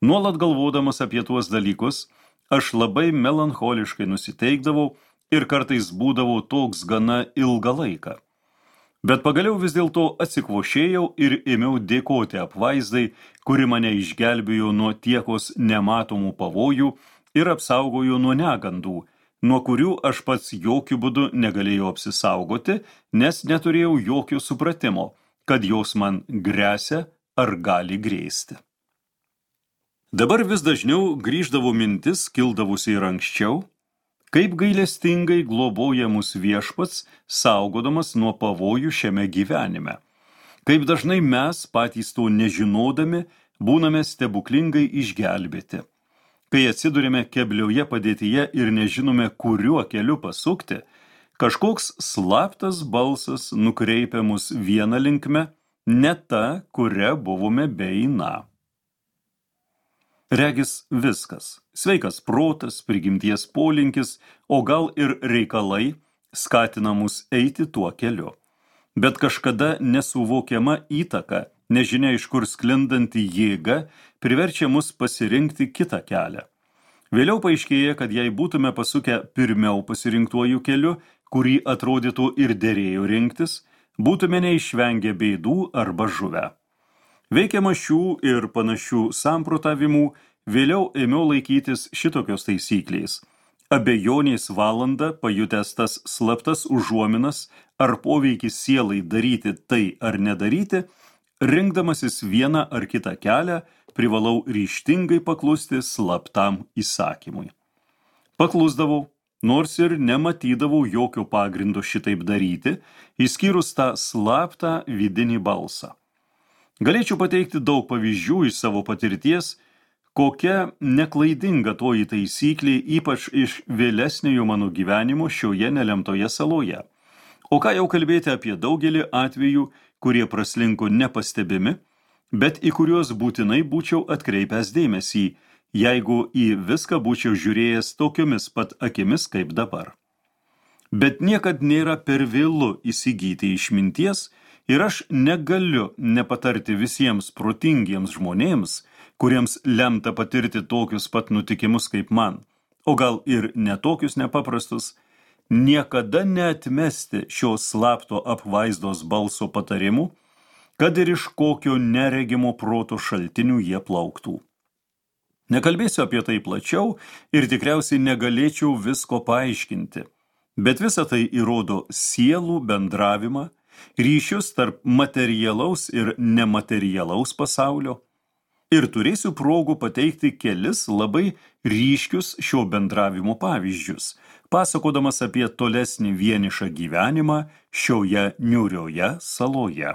Nuolat galvodamas apie tuos dalykus, aš labai melancholiškai nusiteikdavau ir kartais būdavau toks gana ilgą laiką. Bet pagaliau vis dėlto atsikvošėjau ir ėmiau dėkoti apvaizdai, kuri mane išgelbėjo nuo tiekos nematomų pavojų ir apsaugojo nuo negandų, nuo kurių aš pats jokių būdų negalėjau apsisaugoti, nes neturėjau jokio supratimo, kad jos man gresia ar gali grėsti. Dabar vis dažniau grįždavo mintis, kildavusi ir anksčiau, Kaip gailestingai globoja mus Viešpats, saugodamas nuo pavojų šiame gyvenime. Kaip dažnai mes, patys to nežinodami, būname stebuklingai išgelbėti. Kai atsidurime keblioje padėtyje ir nežinome, kuriuo keliu pasukti, kažkoks slaptas balsas nukreipia mus vieną linkme, ne ta, kuria buvome beeiną. Regis viskas – sveikas protas, prigimties polinkis, o gal ir reikalai skatina mus eiti tuo keliu. Bet kažkada nesuvokiama įtaka, nežinia iš kur sklindanti jėga, priverčia mus pasirinkti kitą kelią. Vėliau paaiškėja, kad jei būtume pasukę pirmiau pasirinktuoju keliu, kurį atrodytų ir derėjo rinktis, būtume neišvengę bėdų arba žuvę. Veikiama šių ir panašių samprotavimų, vėliau ėmiau laikytis šitokios taisyklės. Abejonės valandą pajutęs tas slaptas užuominas ar poveikis sielai daryti tai ar nedaryti, rinkdamasis vieną ar kitą kelią, privalau ryžtingai paklusti slaptam įsakymui. Paklusdavau, nors ir nematydavau jokio pagrindo šitaip daryti, išskyrus tą slaptą vidinį balsą. Galėčiau pateikti daug pavyzdžių iš savo patirties, kokia neklaidinga toji taisyklė, ypač iš vėlesniojo mano gyvenimo šioje nelemtoje saloje. O ką jau kalbėti apie daugelį atvejų, kurie praslinko nepastebimi, bet į kuriuos būtinai būčiau atkreipęs dėmesį, jeigu į viską būčiau žiūrėjęs tokiomis pat akimis kaip dabar. Bet niekad nėra per vėlu įsigyti išminties, ir aš negaliu nepatarti visiems protingiems žmonėms, kuriems lemta patirti tokius pat nutikimus kaip man, o gal ir netokius nepaprastus, niekada neatmesti šio slapto apvaizdos balso patarimų, kad ir iš kokio neregimo proto šaltinių jie plauktų. Nekalbėsiu apie tai plačiau ir tikriausiai negalėčiau visko paaiškinti, bet visa tai įrodo sielų bendravimą, ryšius tarp materialaus ir nematerialaus pasaulio, ir turėsiu progų pateikti kelis labai ryškius šio bendravimo pavyzdžius, pasakodamas apie tolesnį vienišą gyvenimą šioje niūrioje saloje.